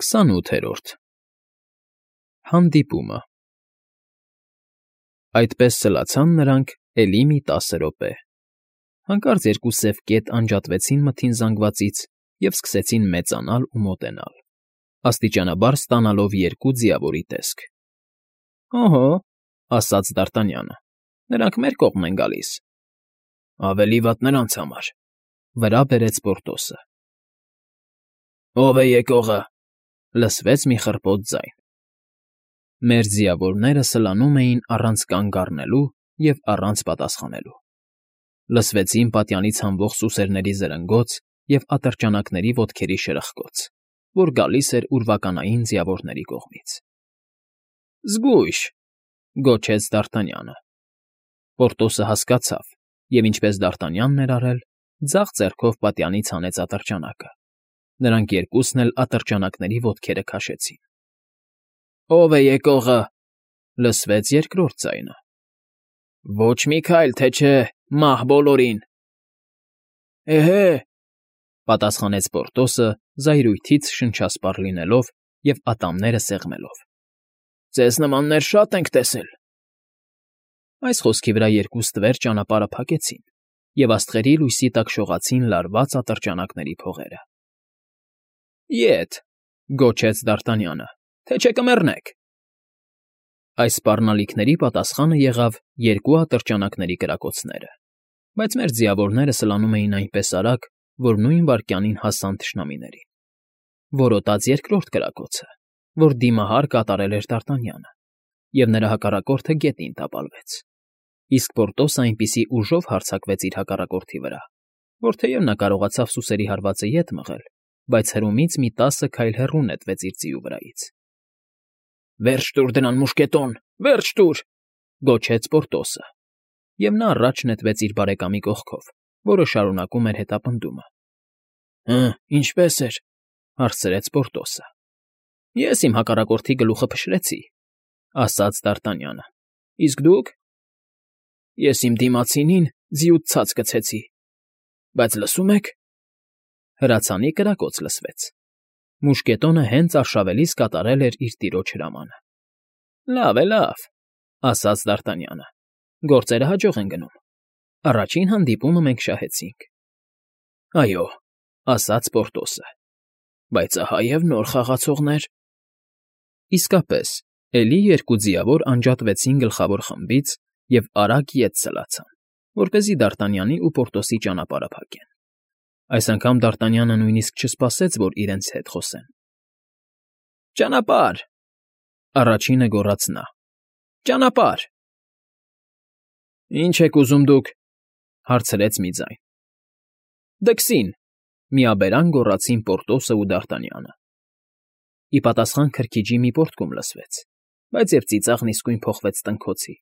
28-րդ Հանդիպումը Այդպես սլացան նրանք էլի մի 10 րոպե։ Հանկարծ երկու սև կետ անջատվեցին մթին զանգվածից և սկսեցին մեծանալ ու մոտենալ, աստիճանաբար ստանալով երկու ձիավորի տեսք։ ֊ Օհո,֊ ասաց Դարտանյանը,֊ նրանք մեր կողմն են գալիս։ ֊ Ավելի վատ նրանց համար,֊ վրա բերեց Պորտոսը։ ֊ Ո՞վ է եկողը,֊ լսվեց մի խռպոտ ձայն։ Մեր ձիավորները սլանում էին առանց կանգ առնելու և առանց պատասխանելու։ Լսվեցին պատյանից հանվող սուսերների զրնգոց և ատրճանակների ոտքերի շրխկոց, որ գալիս էր ուրվականային ձիավորների կողմից։ ֊ Զգույշ,֊ գոչեց Դարտանյանը։ Պորտոսը հասկացավ և, ինչպես Դարտանյանն էր արել, ձախ ձեռքով պատյանից հանեց ատրճանակը։ Նրանք երկուսն էլ ատրճանակների ոտքերը քաշեցին։ ֊ Ո՞վ է եկողը,֊ լսվեց երկրորդ ձայնը։ ֊ Ոչ մի քայլ, թե չէ, մահ բոլորին։ ֊ Էհե,֊ պատասխանեց Պորտոսը, զայրույթից շնչասպառ լինելով և ատամները սեղմելով,֊ ձեզ նմաններ շատ ենք տեսել։ Այս խոսքի վրա երկու ստվեր ճանապարհը փակեցին, և աստղերի լույսի տակ շողացին լարված ատրճանակների փողերը։ ֊ Ետ,֊ գոչեց Դարտանյանը,֊ թե չէ կմեռնեք։ Այս սպառնալիքների պատասխանը եղավ երկու ատրճանակների կրակոցները, բայց մեր ձիավորները սլանում էին այնպես արագ, որ նույն վայրկյանին հասան թշնամիներին։ Որոտաց երկրորդ կրակոցը, որ դիմահար կատարել էր Դարտանյանը, և նրա հակառակորդը գետին տապալվեց, իսկ Պորտոսը այնպիսի ուժով հարձակվեց իր հակառակորդի վրա, որ թեև նա կարողացավ սուսերի հարվածը ետ մղել, բայց հրումից մի 10 քայլ հեռու նետվեց իր ձիու վրայից։ ֊ Վերջ տուր դրան, մուշկետոն, վերջ տուր,֊ գոչեց Պորտոսը, և նա առաջ նետվեց իր բարեկամի կողքով, որը շարունակում էր հետապնդումը։ ֊ Հը, ինչպե՞ս էր,֊ հարցրեց Պորտոսը։ ֊ Ես իմ հակառակորդի գլուխը փշրեցի,֊ ասաց Դարտանյանը,֊ իսկ դուք։ ֊ Ես իմ դիմացինին ձիուց ցած գցեցի, բայց լսում եք… Հրացանի կրակոց լսվեց։ Մուշկետոնը հենց արշավելիս կատարել էր իր տիրոջ հրամանը։ ֊ Լավ է, լավ,֊ ասաց Դարտանյանը,֊ գործերը հաջող են գնում։ Առաջին հանդիպումը մենք շահեցինք։ ֊ Այո,֊ ասաց Պորտոսը,֊ բայց ահա և նոր խաղացողներ… Իսկապես, էլի երկու ձիավոր անջատվեցին գլխավոր խմբից և արագ ետ սլացան, որպեսզի Դարտանյանի ու Պորտոսի ճանապարհը փակեն։ Այս անգամ Դարտանյանը նույնիսկ չսպասեց, որ իրենց հետ խոսեն։ ֊ Ճանապարհ,֊ առաջինը գոռաց նա,֊ ճանապարհ… Ի՞նչ եք ուզում դուք,֊ հարցրեց մի ձայն։ ֊ Դքսին,֊ միաբերան գոռացին Պորտոսն ու Դարտանյանը։ Ի պատասխան քրքիջի մի պոռթկում լսվեց, բայց և ծիծաղն իսկույն փոխվեց տնքոցի։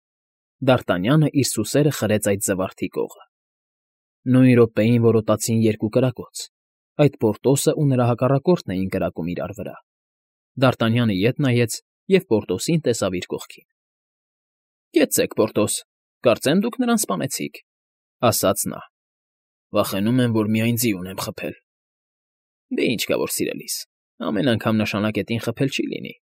Դարտանյանը իր սուսերը խրեց այդ զվարթի կողը։ Նույն րոպեին որոտացին երկու կրակոց, այդ Պորտոսն ու նրա հակառակորդն էին կրակում իրար վրա։ Դարտանյանը ետ նայեց և Պորտոսին տեսավ իր կողքին։ ֊ Կեցցեք, Պորտոս, կարծեմ դուք նրան սպանեցիք,֊ ասաց նա։ ֊ Վախենում եմ, որ միայն ձի ունեմ խփել։ ֊ Դե ինչ կա որ, սիրելիս, ամեն անգամ նշանակետին խփել չի լինի,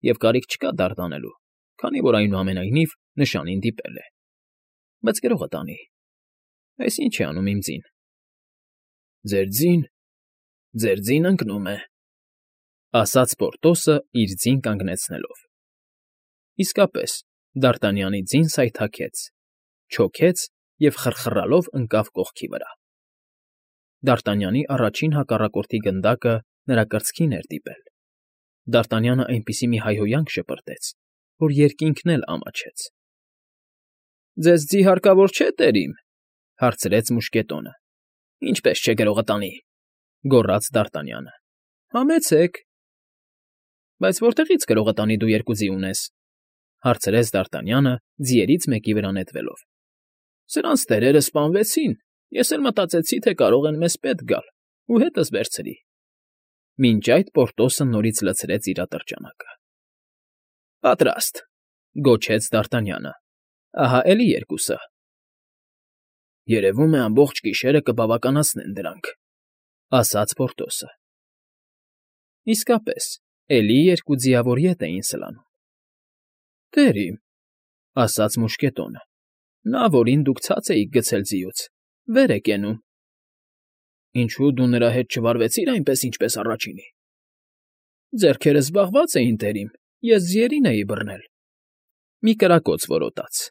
և կարիք չկա դարդ անելու, քանի որ, այնուամենայնիվ, նշանին դիպել է։ Բայց գրողը տանի… Այս ի՞նչ է անում իմ ձին։ ֊ Ձեր ձին ընկնում է,֊ ասաց Պորտոսը իր ձին կանգնեցնելով։ Իսկապես, Դարտանյանի ձին սայթաքեց, չոքեց և խռխռալով ընկավ կողքի վրա։ Դարտանյանի առաջին հակառակորդի գնդակը նրա կրծքին էր դիպել։ Դարտանյանը այնպիսի մի հայհոյանք շպրտեց, որ երկինքն էլ ամաչեց։ ֊ Ձեզ ձի հարկավոր չէ, տերիմ,֊ հարցրեց մուշկետոնը։ ֊ Ինչպես չէ գրողը տանի,֊ գոռաց Դարտանյանը։ ֊ Համեցեք։ ֊ Բայց որտեղի՞ց գրողը տանի դու երկու ձի ունես,֊ հարցրեց Դարտանյանը, ձիերից մեկի վրա նետվելով։ ֊ Սրանց տերերը սպանվեցին, ես էլ մտածեցի, թե կարող են մեզ պետք գալ ու հետս վերցրի։ Մինչ այդ Պորտոսը նորից լցրեց իր ատրճանակը։ ֊ Պատրաստ,֊ գոչեց Դարտանյանը,֊ ահա էլի երկուսը։ ֊ Երևում է, ամբողջ գիշերը կբավականացնեն դրանք,֊ ասաց Պորտոսը։ Իսկապես, Էլի երկու ձիավոր ետ էին սլանում։ ֊ Տեր իմ,֊ ասաց մուշկետոնը,֊ նա, որին դուք ցած էիք գցել ձիուց, վեր է կենում։ ֊ Ինչո՞ւ դու նրա հետ չվարվեցիր այնպես, ինչպես առաջինի։ ֊ Ձեռքերս զբաղված էին, տեր իմ, ես ձիերին էի բռնել։ Մի կրակոց որոտաց,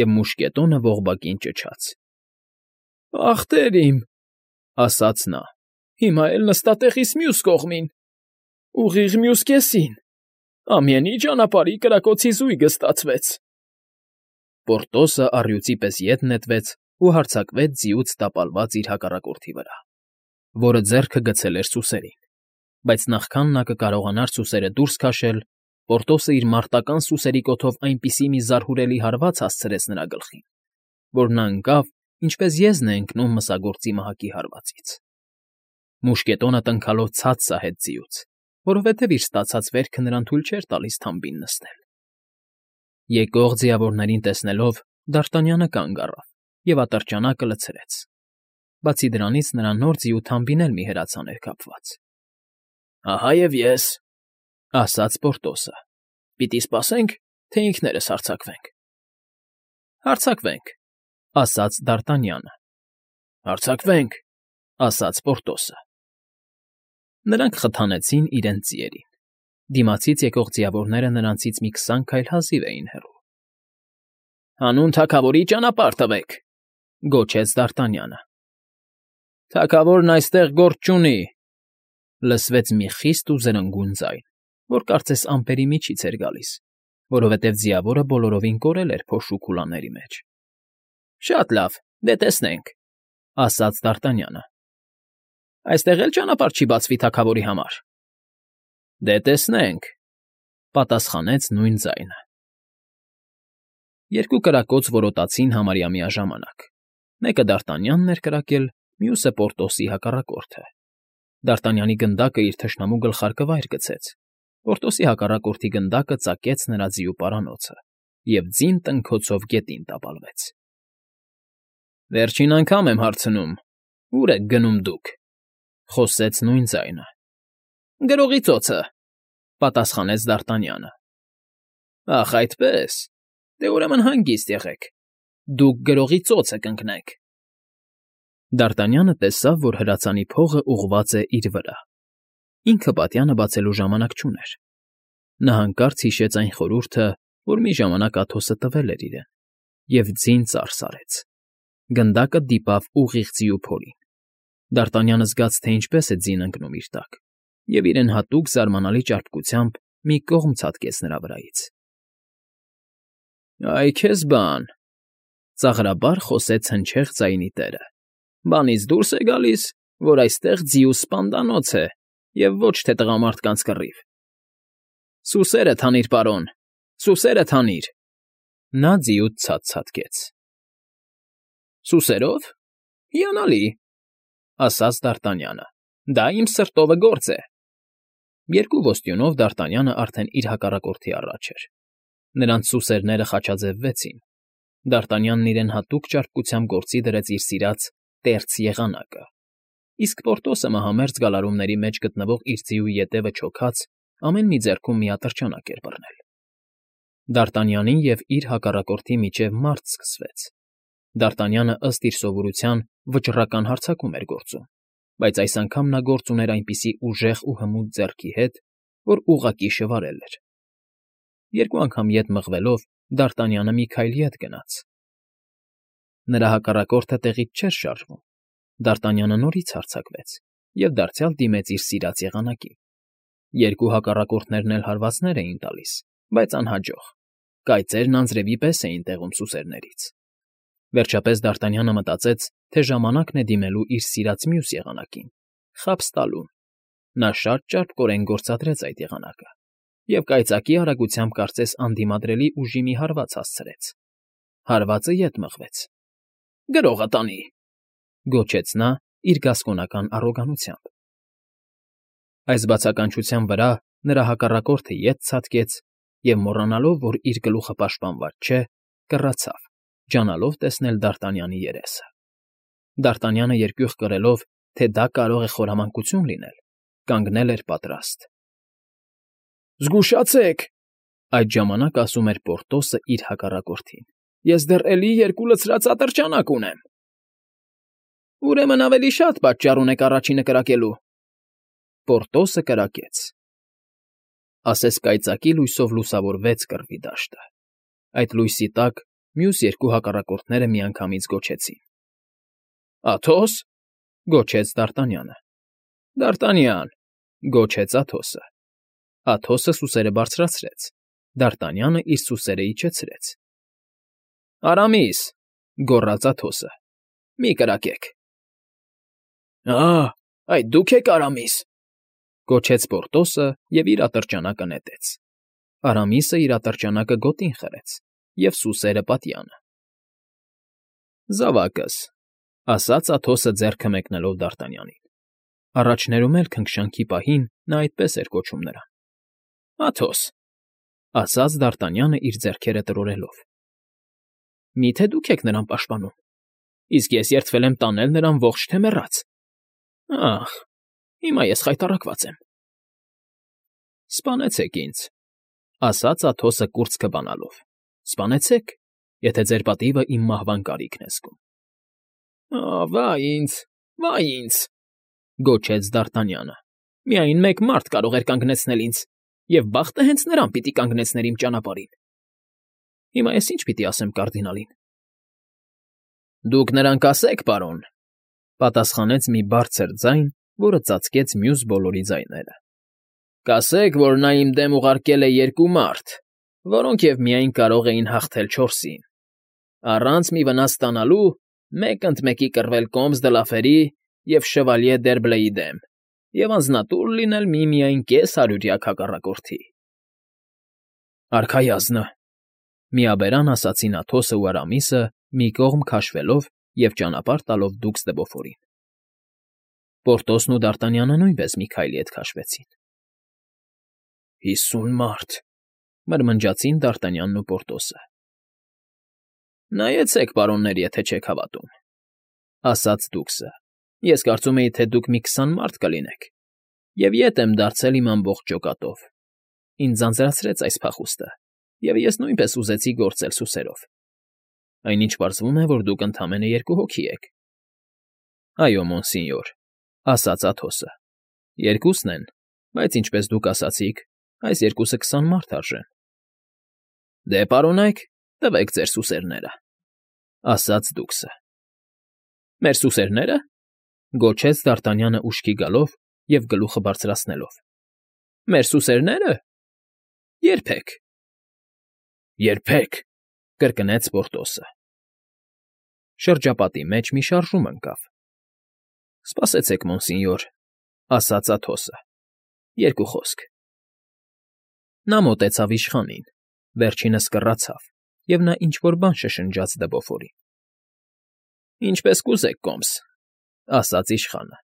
և մուշկետոնը ողբակին ճչաց։ ֊ Ախ, տեր իմ,֊ ասաց նա,֊ հիմա էլ նստա տեղիս մյուս կողմին, ուղիղ մյուս կեսին, ամենի ճանապարհի կրակոցի զույգը ստացվեց։ Պորտոսը առյուծի պես ետ նետվեց ու հարձակվեց ձիուց տապալված իր հակառակորդի վրա, որը ձեռքը գցել էր սուսերին, բայց նախքան նա կկարողանար սուսերը դուրս քաշել, Պորտոսը իր մարտական սուսերի կոթով այնպիսի մի զարհուրելի հարված հասցրեց նրա գլխին, որ նա ընկավ, ինչպես եզն է ընկնում մսագործի մահակի հարվածից։ Մուշկետոնը տնքալով ցած սահեց ձիուց, որովհետև իր ստացած վերքը նրան թույլ չէր տալիս թամբին նստել։ Եկող ձիավորներին տեսնելով՝ Դարտանյանը կանգ առավ և ատրճանակը լցրեց։ Բացի դրանից նրա նոր ձիու թամբին էլ մի հրացան էր կապված։ ֊ Ահա և ես,֊ ասաց Պորտոսը,֊ պիտի սպասե՞նք, թե ինքներս հարձակվենք։ ֊ Հարձակվենք,֊ ասաց Դարտանյանը։ ֊ Հարձակվենք,֊ ասաց Պորտոսը։ Նրանք խթանեցին իրենց ձիերին։ Դիմացից եկող ձիավորները նրանցից մի 20 քայլ հազիվ էին հեռու։ ֊ Հանուն թագավորի ճանապարհ տվեք,֊ գոչեց Դարտանյանը։ ֊ Թագավորն այստեղ գործ չունի,֊ լսվեց մի խիստ ու զրնգուն ձայն, որ կարծես ամպերի միջից էր գալիս, որովհետև ձիավորը բոլորովին կորել էր փոշու քուլաների մեջ։ ֊ Շատ լավ, դե տեսնենք,֊ ասաց Դարտանյանը։ ֊ Այստեղ էլ ճանապարհ չի բացվի թագավորի համար։ ֊ Դե տեսնենք,֊ պատասխանեց նույն ձայնը։ Երկու կրակոց որոտացին համարյա միաժամանակ։ Մեկը Դարտանյանն էր կրակել, մյուսը Պորտոսի հակառակորդը։ Դարտանյանի գնդակը իր թշնամու գլխարկը վայր գցեց, Պորտոսի հակառակորդի գնդակը ծակեց նրա ձիու պարանոցը և ձին տնքոցով գետին տապալվեց։ ֊ Վերջին անգամ եմ հարցնում. ո՞ւր եք գնում դուք,֊ խոսեց նույն ձայնը։ ֊ Գրողի ծոցը,֊ պատասխանեց Դարտանյանը։ ֊ Ախ, այդպե՜ս, դե ուրեմն հանգիստ եղեք, դուք գրողի ծոցը կընկնեք։ Դարտանյանը տեսավ, որ հրացանի փողը ուղղված է իր վրա։ Ինքը պատյանը բացելու ժամանակ չուներ։ Նա հանկարծ հիշեց այն խորհուրդը, որ մի ժամանակ Աթոսը տվել էր իրեն, և ձին ծարս արեց։ Գնդակը դիպավ ուղիղ ձիու փորին։ Դարտանյանը զգաց, թե ինչպես է ձին ընկնում իր տակ, և իրեն հատուկ զարմանալի ճարպկությամբ մի կողմ ցատկեց նրա վրայից։ ֊ Այ քեզ բան,֊ ծաղրաբար խոսեց հնչեղ ձայնի տերը,֊ բանից դուրս է գալիս, որ այստեղ ձիու սպանդանոց է և ոչ թե տղամարդկանց կռիվ։ ֊ Սուսերդ հանիր, պարոն, սուսերդ հանիր,֊ նա ձիուց ցած ցատկեց։ ֊ Սուսերո՞վ, հիանալի,֊ ասաց Դարտանյանը,֊ դա իմ սրտովը գործ է։ Երկու ոստյունով Դարտանյանը արդեն իր հակառակորդի առաջ էր։ Նրանց սուսերները խաչաձևվեցին։ Դարտանյանն իրեն հատուկ ճարպկությամբ գործի դրեց իր սիրած տերց եղանակը, իսկ Պորտոսը մահամերձ գալարումների մեջ գտնվող իր ձիու ետևը չոքած ամեն մի ձեռքում մի ատրճանակ էր բռնել։ Դարտանյանի և իր հակառակորդի միջև մարտ սկսվեց։ Դարտանյանը ըստ իր սովորության վճռական հարձակում էր գործում, բայց այս անգամ նա գործ ուներ այնպիսի ուժեղ ու հմուտ ձեռքի հետ, որ ուղղակի շվարել էր։ Երկու անգամ ետ մղվելով Դարտանյանը մի քայլ ետ գնաց։ Նրա հակառակորդը տեղից չէր շարժվում։ Դարտանյանը նորից հարձակվեց և դարձյալ դիմեց իր սիրած եղանակին։ Երկու հակառակորդներն էլ հարվածներ էին տալիս, բայց անհաջող, կայծերն անձրևի պես էին տեղում սուսերներից։ Վերջապես Դարտանյանը մտածեց, թե ժամանակն է դիմելու իր սիրած մյուս եղանակին՝ խաբս տալուն։ Նա շատ ճարպկորեն գործադրեց այդ եղանակը և կայծակի արագությամբ կարծես անդիմադրելի ուժի մի հարված հասցրեց։ Հարվածը ետ մղվեց։ ֊ Գրողը տանի,֊ գոչեց նա իր գասկոնական առոգանությամբ։ Այս բացականչության վրա նրա հակառակորդը ետ ցատկեց և, մոռանալով, որ իր գլուխը պաշտպանված չէ, կռացավ, ջանալով տեսնել Դարտանյանի երեսը։ Դարտանյանը երկյուղ կրելով, թե դա կարող է խորամանկություն լինել, կանգնել էր պատրաստ։ Զգուշացեք։ Այդ ժամանակ ասում էր Պորտոսը իր հակառակորդին։ Ես դեռ էլի 2 լցրած ատրճանակ ունեմ։ Ուրեմն ավելի շատ պատճառ ունեք առաջինը կրակելու։ Պորտոսը կրակեց։ Ասես կայծակի լույսով լուսավորվեց կռվի դաշտը։ Այդ լույսի տակ մյուս 2 հակառակորդները միանգամից գոչեցին։ Աթոս, գոչեց Դ'Արտանյանը։ Դ'Արտանյան, գոչեց Աթոսը։ Աթոսը սուսերը բարձրացրեց։ Դ'Արտանյանը իր սուսերը իջեցրեց։ Արամիս, գոռաց Աթոսը։ Մի կրակեք։ Այդ դուք եք Արամիս, գոչեց Պորտոսը և իր ատրճանակը նետեց։ Արամիսը իր ատրճանակը գոտին խրեց և սուսերը պատյանը։ Զավակս, ասաց Աթոսը ձեռքը մեկնելով Դ'Արտանյանին։ Առաջներում էլ քնքշանքի պահին նա այդպես էր կոչում նրան։ Աթոս, ասաց Դ'Արտանյանը իր ձեռքերը տրորելով։ Միթե դուք եք նրան պաշտպանում, իսկ ես երդվել եմ տանել նրան ողջ թե մեռած։ Ախ, հիմա ես խայտառակված եմ։ Սպանեցեք ինձ, ասաց Աթոսը կուրծքը բանալով։ Սպանեցեք, եթե ձեր պատիվը իմ մահվան կարիքն է զգում։ Վայ ինձ, գոչեց Դ'Արտանյանը։ Միայն մեկ մարդ կարող էր կանգնեցնել ինձ, և բախտը հենց նրան պիտի կանգնեցներ իմ ճանապարհին։ Հիմա ես ինչ պիտի ասեմ կարդինալին։ Դուք նրան կասեք, պարոն, պատասխանեց մի բարձր ձայն, որը ծածկեց մյուս բոլորի ձայները։ Կասեք, որ նա իմ դեմ ուղարկել է 2 մարդ, որոնք և միայն կարող էին հաղթել 4-ին։ Առանց մի վնաս ստանալու մեկ ընդ մեկի կռվել Կոմս դը Լաֆերի և Շևալյե Դերբլեի դեմ և անձնատուր լինել միմիայն կես հարյուրյակ հակառակորդի։ Արքայազնը, միաբերան ասացին Աթոսը ու Արամիսը, մի կողմ քաշվելով և ճանապարհ տալով դուքս դե Բոֆորին։ Պորտոսն ու Դ'Արտանյանը նույնպես մի քայլի հետ քաշվեցին։ 50 մարդ, մրմնջացին Դ'Արտանյանն ու Պորտոսը։ Նայեցեք, պարոններ, եթե չեք հավատում, ասաց դուքսը։ Ես կարծում էի, թե դուք մի 20 մարդ կլինեք, և ետ եմ դարձել իմ ամբողջ ջոկատով։ Ինձ ձանձրացրեց այս փախուստը, և ես նույնպես ուզեցի գործել սուսերով։ Այնինչ պարզվում է, որ դուք ընդամենը 2 հոգի եք։ Այո, մոնսինյոր, ասաց Աթոսը։ 2-ն են, բայց ինչպես դուք ասացիք, այս 2-ը 20 մարդ արժեն։ Դե, պարոնայք, տվեք ձեր սուսերները, ասաց դուքսը։ Մեր սուսերնե՞րը, գոչեց Դ'Արտանյանը ուշքի գալով և գլուխը բարձրացնելով։ Մեր սուսերնե՞րը։ Երբեք։ Երբեք, կրկնեց Պորտոսը։ Շրջապատի մեջ մի շարժում ընկավ։ Սպասեցեք, մոնսինյոր, ասաց Աթոսը։ 2 խոսք։ Նա մոտեցավ իշխանին, վերջինս կռացավ, և նա ինչ֊որ բան շշնջաց դե Բոֆորին։ Ինչպես կուզեք, Կոմս, ասաց իշխանը։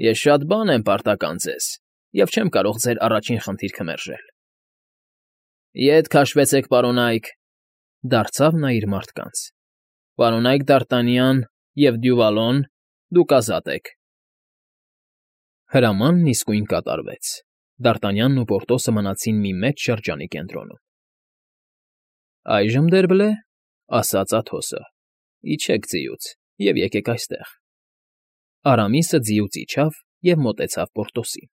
Ես շատ բան եմ պարտական ձեզ և չեմ կարող ձեր առաջին խնդիրքը մերժել։ Ետ քաշվեցեք, պարոնայք, դարձավ նա իր մարդկանց։ Պարոնայք Դ'Արտանյան և Դյուվալոն, դուք ազատ եք։ Հրամանն իսկույն կատարվեց։ Դ'Արտանյանն ու Պորտոսը մնացին մի մեծ շրջանի կենտրոնում։ Այժմ, Դերբլե, ասաց Աթոսը, իջեք ձիուց և եկեք այստեղ։ Արամիսը ձիուց իջավ և մոտեցավ Պորտոսին։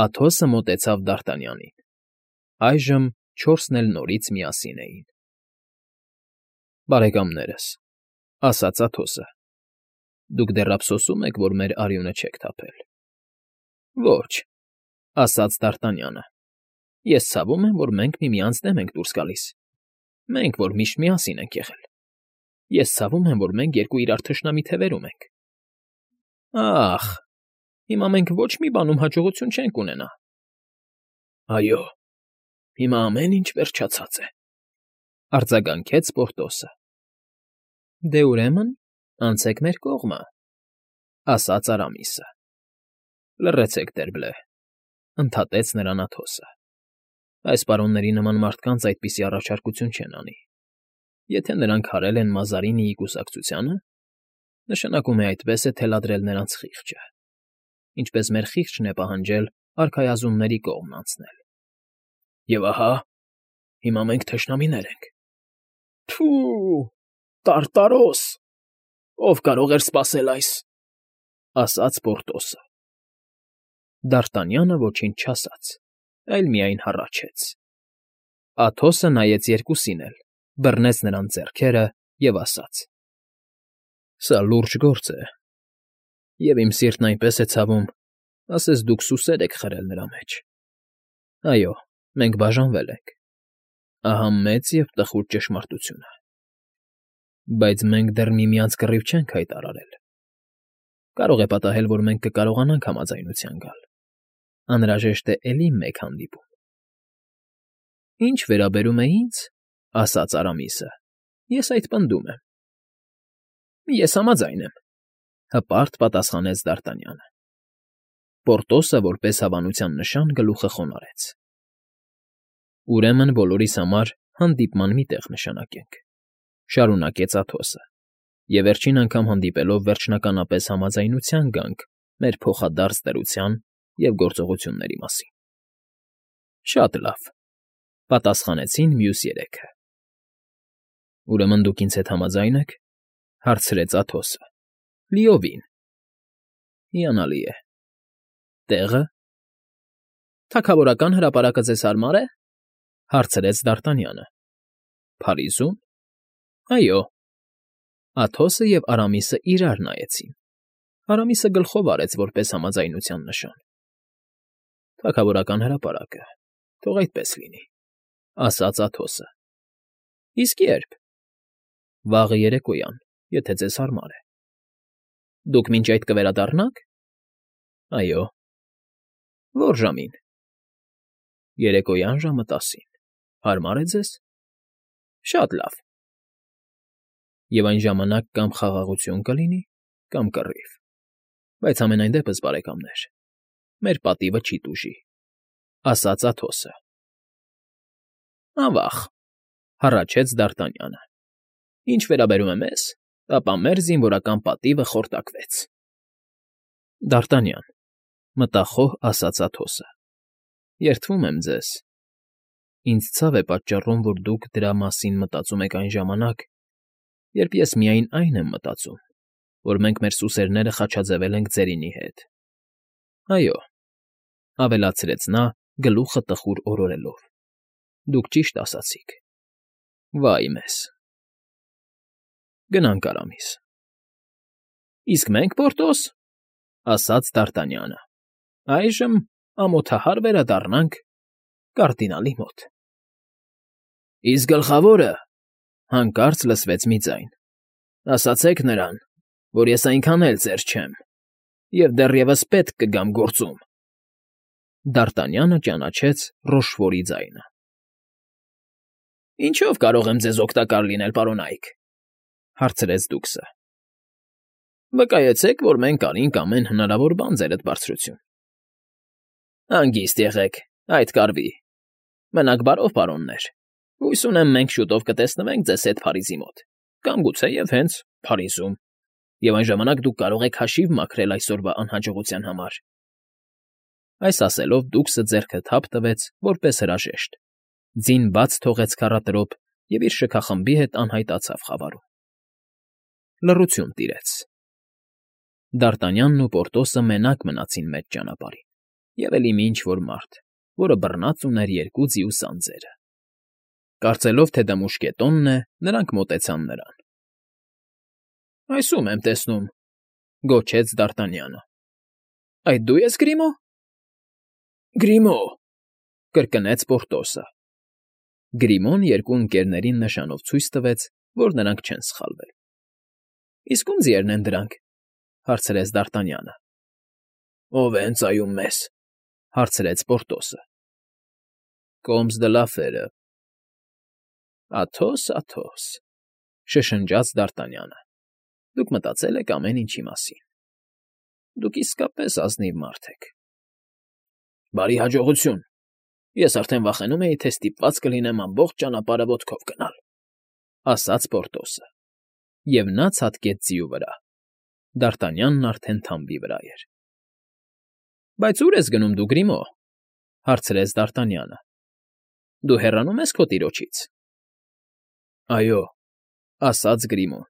Աթոսը մոտեցավ Դ'Արտանյանին։ Այժմ 4-ն էլ նորից միասին էին։ Բարեկամներս, ասաց Աթոսը, դուք դեռ ափսոսում եք, որ մեր արյունը չեք թափել։ Ոչ, ասաց Դ'Արտանյանը, ես ցավում եմ, որ մենք միմյանց դեմ ենք դուրս գալիս։ Մենք, որ միշտ միասին ենք եղել։ Ես ցավում եմ, որ մենք 2 իրար թշնամի թևերում ենք։ Ախ, հիմա մենք ոչ մի բանում հաջողություն չենք ունենա։ Այո, հիմա ամեն ինչ վերջացած է, արձագանքեց Պորտոսը։ Դե ուրեմն, անցեք մեր կողմը, ասաց Արամիսը։ Լռեցեք, Դերբլե, ընդհատեց նրան Աթոսը։ Այս պարոնների նման մարդկանց այդպիսի առաջարկություն չեն անի։ Եթե նրանք հարել են Մազարինիի կուսակցությանը, նշանակում է այդպես է թելադրել նրանց խիղճը, ինչպես մեր խիղճն է պահանջել արքայազնների կողմն անցնել։ Եվ ահա, հիմա մենք թշնամիներ ենք։ Թու, տարտարոս, ով կարող էր սպասել այս, ասաց Պորտոսը։ Դ'Արտանյանը ոչինչ չասաց, այլ միայն հառաչեց։ Աթոսը նայեց երկուսին էլ, բռնեց նրանց ձեռքերը և ասաց. «Սա լուրջ գործ է, և իմ սիրտն այնպես է ցավում, ասես դուք սուսեր եք խրել նրա մեջ։ Այո, մենք բաժանվել ենք, ահա մեծ և տխուր ճշմարտությունը։ Բայց մենք դեռ միմյանց կռիվ չենք հայտարարել։ Կարող է պատահել, որ մենք կկարողանանք համաձայնության գալ։ Անհրաժեշտ է էլի մեկ հանդիպում»։ «Ինչ վերաբերում է ինձ, — ասաց Արամիսը, — ես այդ պնդում եմ»։ «Ես համաձայն եմ», — հպարտ պատասխանեց Դ'Արտանյանը։ Պորտոսը որպես հավանության նշան գլուխը խոնարհեց։ «Ուրեմն բոլորիս համար հանդիպման մի տեղ նշանակենք», — շարունակեց Աթոսը, «և վերջին անգամ հանդիպելով վերջնականապես համաձայնության գանք մեր փոխադարձ դրության և գործողությունների մասին»։ «Շատ լավ», — պատասխանեցին մյուս երեքը։ «Ուրեմն դուք ինձ հետ համաձա՞յն եք,֊ հարցրեց Աթոսը։ «Լիովին»։ «Հիանալի է։ Տեղը»։ «Թագավորական հրապարակը ձեզ հարմար է,֊ հարցրեց Դ'Արտանյանը։ «Փարիզում»։ «Այո»։ Աթոսը և Արամիսը իրար նայեցին։ Արամիսը գլխով արեց որպես համաձայնության նշան։ «Թագավորական հրապարակը, թող այդպես լինի», — ասաց Աթոսը։ «Իսկ ե՞րբ»։ «Վաղը երեկոյան, եթե ձեզ հարմար է»։ «Դուք մինչ այդ կվերադառնաք»։ «Այո»։ «Ո՞ր ժամին»։ «Երեկոյան ժամը 10-ին, հարմար է ձեզ»։ «Շատ լավ»։ «Եվ այն ժամանակ կամ խաղաղություն կլինի, կամ կռիվ, բայց համենայն դեպս, բարեկամներ, մեր պատիվը չի տուժի», — ասաց Աթոսը։ «Ավա՜ղ», — հառաչեց Դ'Արտանյանը։ «Ինչ վերաբերում է մեզ, ապա մեր զինվորական պատիվը խորտակվեց»։ «Դ'Արտանյան», — մտախոհ ասաց Աթոսը, «երդվում եմ ձեզ։ Ինձ ցավ է պատճառում, որ դուք դրա մասին մտածում եք այն ժամանակ, երբ ես միայն այն եմ մտածում, որ մենք մեր սուսերները խաչաձևել ենք ծերինի հետ։ Այո», — ավելացրեց նա, գլուխը տխուր օրորելով, «դուք ճիշտ ասացիք։ Վա՜յ մեզ»։ «Գնանք, Արամիս»։ «Իսկ մենք, Պորտոս,֊ ասաց Դ'Արտանյանը,֊ այժմ ամոթահար վերադառնանք կարդինալի մոտ»։ Իսկ գլխավորը,֊ հանկարծ լսվեց մի ձայն,֊ ասացեք նրան, որ ես այնքան էլ ծեր չեմ, և դեռևս պետք կգամ գործում։ Դ'Արտանյանը ճանաչեց Ռոշֆորի ձայնը։ «Ինչո՞վ կարող եմ ձեզ օգտակար լինել, պարոնայք,֊ հարցրեց դուքսը։ «Վկայեցեք, որ մենք արինք ամեն հնարավոր բան ձերդ բարձրություն»։ «Հանգիստ եղեք, այդ կարվի։ Մնաք բարով, պարոններ։ Հույս ունեմ մենք շուտով կտեսնվենք ձեզ հետ Փարիզի մոտ, կամ գուցեև հենց Փարիզում, և այն ժամանակ դուք կարող եք հաշիվ մաքրել այսօրվա անհաջողության համար»։ Այս ասելով դուքսը ձեռքը թափ տվեց, որպես հրաժեշտ, ձին բաց թողեց քառատրոպ և իր շքախմբի հետ անհայտ անցավ խավարում։ Լռություն տիրեց։ Դ'Արտանյանն ու Պորտոսը մենակ մնացին մեծ ճանապարհին, և էլի մի ինչ֊որ մարդ, որը բռնած ուներ երկու ձիու սանձերը։ Կարծելով, թե դա մուշկետոնն է, նրանք մոտեցան նրան։ «Այս ո՞ւմ եմ տեսնում,֊ գոչեց Դ'Արտանյանը։ Այդ դու ես, Գրիմո։ «Գրիմո», կրկնեց Պորտոսը։ Գրիմոն երկու ընկերներին նշանով ցույց տվեց, որ նրանք չեն սխալվել։ «Իսկ ո՞ւմ ձիերն են դրանք,֊ հարցրեց Դ'Արտանյանը։ «Ո՞վ է ընծայում մեզ,֊ հարցրեց Պորտոսը։ «Կոմս դը Լաֆերը»։ «Աթոս, Աթոս,֊ շշնջաց Դ'Արտանյանը,֊ դուք մտածել եք ամեն ինչի մասին։ Դուք իսկապես ազնիվ մարդ եք»։ «Բարի հաջողություն։ Ես արդեն վախենում էի, թե ստիպված կլինեմ ամբողջ ճանապարհը ոտքով գնալ», ասաց Պորտոսը, և նա ցատկեց ձիու վրա։ Դ'Արտանյանն արդեն թամբի վրա էր։ «Բայց ո՞ւր ես գնում դու, Գրիմո,֊ հարցրեց Դ'Արտանյանը։ Դու հեռանում ես քո տիրոջից։ Այո, ասաց Գրիմոն,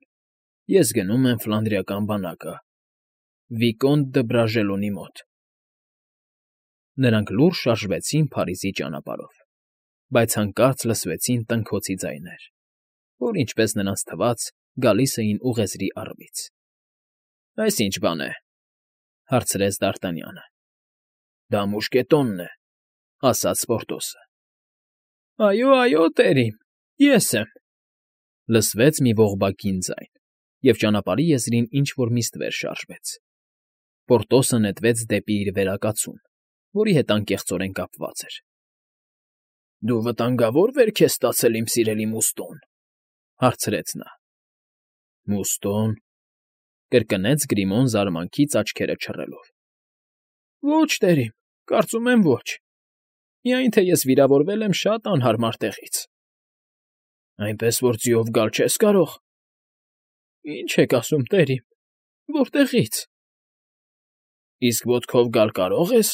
ես գնում եմ Ֆլանդրիական բանակը, Վիկոնտ դը Բրաժելոնի մոտ։ Նրանք լուրջ շարժվեցին Փարիզի ճանապարհով, բայց հանկարծ լսվեցին տնքոցի ձայներ, որ, ինչպես նրանց թվաց, գալիս էին ուղեզրի առվից։ Այս ինչ բան է, հարցրեց Դ'Արտանյանը։ Դա մուշկետոնն է, ասաց Պորտոսը։ Այո, տերիմ, ես եմ, լսվեց մի ողբակին ձայն, և ճանապարհի եզրին ինչ-որ մի ստվեր շարժվեց։ Պորտոսը նետվեց դեպի իր վերակացուն, որի հետ անկեղծորեն կապված էր։ Դու վտանգավոր վերք ես ստացել, իմ սիրելի Մուստոն, հարցրեց նա։ Մուստոն, կրկնեց Գրիմոն զարմանքից աչքերը չռելով։ Ոչ, տերիմ, կարծում եմ ոչ։ Միայն թե ես վիրավորվել եմ շատ անհարմար տեղից։ Այնպես որ ձիով գալ չես կարող։ Ինչ եք ասում, տերիմ, որտեղից։ Իսկ ոտքով գալ կարող ես։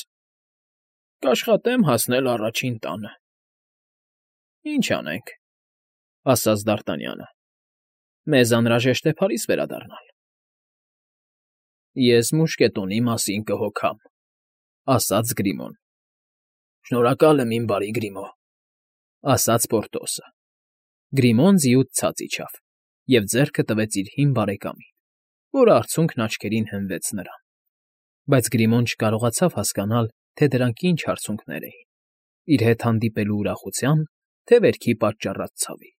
Կաշխատեմ հասնել առաջին տանը։ Ինչ անենք, ասաց Դ'Արտանյանը։ Մեզ անհրաժեշտ է Փարիզ վերադառնալ։ Ես մուշկետոնի մասին կհոգամ, ասաց Գրիմոն։ Շնորհակալ եմ, իմ բարի Գրիմո, ասաց Պորտոսը։ Գրիմոն ձիուց ցած իջավ և ձեռքը տվեց իր հին բարեկամին, որը արցունքն աչքերին հենվեց նրան։ Բայց Գրիմոն չկարողացավ հասկանալ, թե դրանք ինչ արցունքներ էին՝ իր հետ հանդիպելու ուրախության, թե վերքի պատճառած ցավի։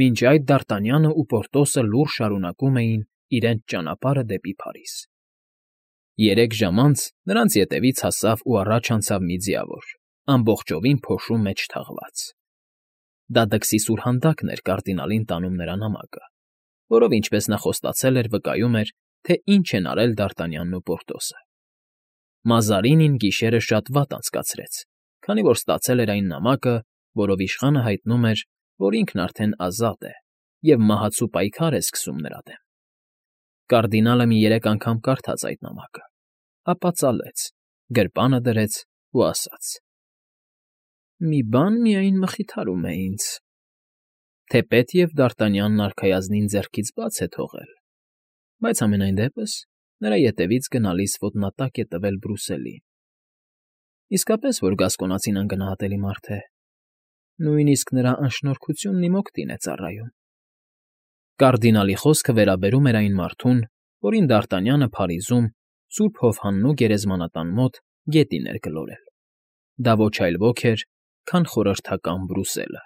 Մինչ այդ Դ'Արտանյանը ու Պորտոսը լուռ շարունակում էին իրենց ճանապարհը դեպի Փարիզ։ 3 ժամ անց նրանց ետևից հասավ ու առաջ անցավ մի ձիավոր, ամբողջովին փոշու մեջ թաղված։ Դա դքսի սուրհանդակն էր կարդինալին տանում նրա նամակը, որով, ինչպես նա խոստացել էր, վկայում էր, թե ինչ են արել Դ'Արտանյանն ու Պորտոսը։ Մազարինին գիշերը շատ վատ անցկացրեց, քանի որ ստացել էր այն նամակը, որով իշխանը հայտնում էր, որ ինքն արդեն ազատ է և մահացու պայքար է սկսում նրա դեմ։ Կարդինալը մի 3 անգամ կարդաց այդ նամակը, ապա ծալեց, գրպանը դրեց ու ասաց. «Մի բան միայն մխիթարում է ինձ. թեպետև Դ'Արտանյանն արքայազնին ձեռքից բաց է թողել, բայց համենայն դեպս նրա ետևից գնալիս ոտնատակ է տվել Բրուսելին։ Իսկապես, որ գասկոնացին անգնահատելի մարդ է, նույնիսկ նրա անշնորհքությունն իմ օգտին է ծառայում»։ Կարդինալի խոսքը վերաբերում էր այն մարդուն, որին Դ'Արտանյանը Փարիզում Սուրբ Հովհաննու գերեզմանատան մոտ գետին էր գլորել։ Դա ոչ այլ ոք էր, քան խորհրդական Բրուսելը։